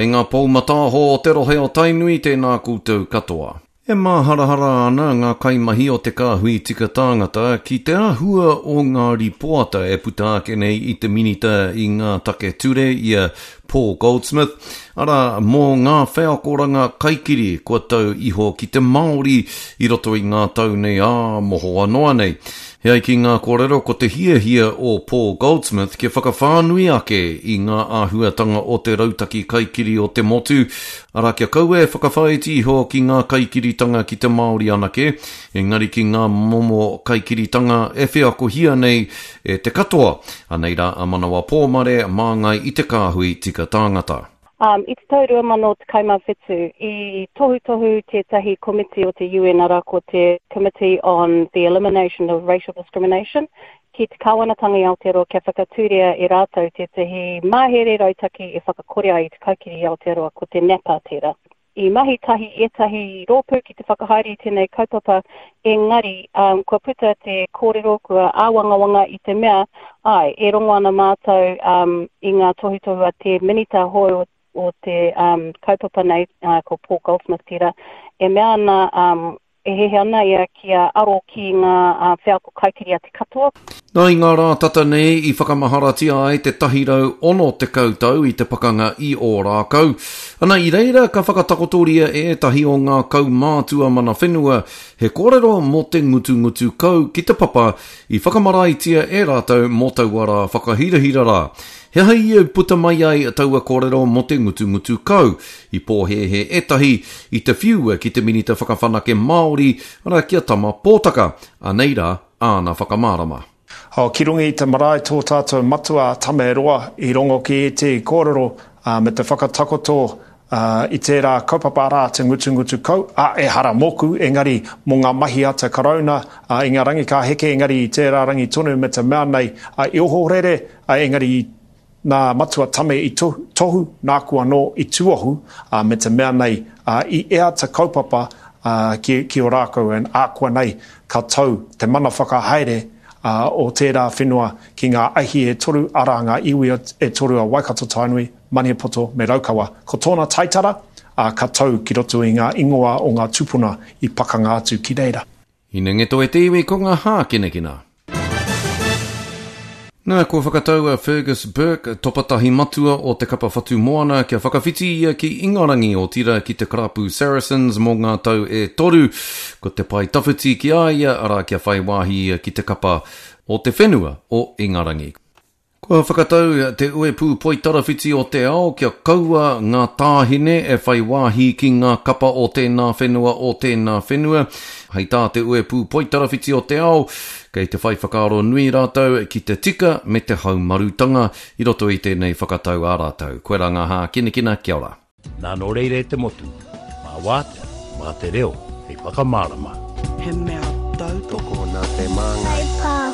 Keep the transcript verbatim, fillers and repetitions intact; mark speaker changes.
Speaker 1: Kei ngā pou mataaho o te rohe o Tainui tēnā koutou katoa. E māharahara ana ngā kaimahi o te kāhui tika tāngata ki te āhua o ngā ripoata e puta ake nei i te minita i ngā take ture i a Paul Goldsmith, arā mō ngā wheakoranga kaikiri kua tau iho ki te Māori i roto i ngā tau nei ā mohoa noa nei. He ai ki ngā kōrero ko te hiahia o Paul Goldsmith kia whakawhānui ake i ngā āhuatanga o te rautaki kaikiri o te motu, arā kia kaua e whakawhāiti iho ki ngā kaikiritanga ki te Māori anake, engari ki ngā momo kaikiritanga e wheakohia nei e te katoa. Anei rā a Manawa Pōmare māngai i te kāhui tika tāngata.
Speaker 2: Um, I te tau rua mano tekau mā whitu, i tohutohu tētahi komiti o te U N arā ko te Committee on the Elimination of Racial Discrimination ki te kāwanatanga i Aotearoa kia whakatūria e rātou tētahi mahere rautaki e whakakore ai i te kaikiri i Aotearoa, ko te NAPA tērā. I mahi tahi ētahi rōpū ki te whakahaere i tēnei kaupapa, engari um, kua puta te kōrero, kua āwangawanga i te mea, ai, e rongo ana mātou um, i ngā tohutohu a te minita hou o te um, kaupapa nei, uh, ko Paul Goldsmith tērā, e mea ana, um, e hehe ana ia kia aro ki ngā uh, wheako kaikiri a te katoa.
Speaker 1: Nā i ngā rā tata nei i whakamaharatia ai te tahirau ono tekau tau i te pakanga i Ōrākau. Ana i reira ka whakatakotoria e ētahi o ngā kaumātua mana whenua he kōrero mō te ngutungutu kau ki te papa i whakamaraitia e rātou mō taua rā whakahirahira rā. He aha ia puta mai ai taua kōrero mō te ngutungutu kau, i pōhēhē ētahi i te whiua ki te minita whakawhanake Māori, arā ki a Tama Pōtaka. Anei rā, āna whakamārama.
Speaker 3: O, ki runga i te marae tō tātou matua Tame Roa i rongo ki e te kōrero uh, me te whakatakoto uh, i tērā kaupapa rā te ngutungutu kau, a e hara mōku, engari mō ngā mahi a te karauna uh, i ngā rangi ka heke, engari i tērā rangi tonu me te mea nei uh, i ohorere, uh, engari i nā matua Tame i tohu, tohu nāku anō i tuohu, uh, me te mea nei uh, i ea te kaupapa uh, ki, ki o rākau en ākua nei ka tau te mana whakahaere uh, o tērā whenua ki ngā ahi e toru, arā ngā iwi e toru a Waikato Tainui, Maniapoto me Raukawa. Ko tōna taitara, uh, ka tau ki roto i ngā ingoa o ngā tupuna i pakanga atu ki reira.
Speaker 1: Hinengeto e te iwi ko ngā hākinakina. Nā, kua whakatau a Fergus Burke, topatahi matua o te kapa Whatumoana, kia whakawhiti ia ki Ingarangi o tira ki te karapu Saracens mō ngā tau e toru. Ko te pai tawhiti ki a ia, arā kia whai wāhi ia ki te kapa o te whenua o Ingarangi. Kua whakatau te uepu poitarawhiti o te ao kia kaua ngā tāhine e whai wāhi ki ngā kapa o tēnā whenua o tēnā whenua. Hei tā te uepu poitarawhiti o te ao, kei te whai whakaaro nui rātou ki te tika me te haumarutanga i roto i tēnei whakatau a rātou. Koe rā ngā hākinakina, kia ora.
Speaker 4: Nā nō reira e te motu, mā wātea, mā te reo, hei whakamārama.
Speaker 5: He mea tautoko
Speaker 6: nā te māngai.
Speaker 7: Kai pāho.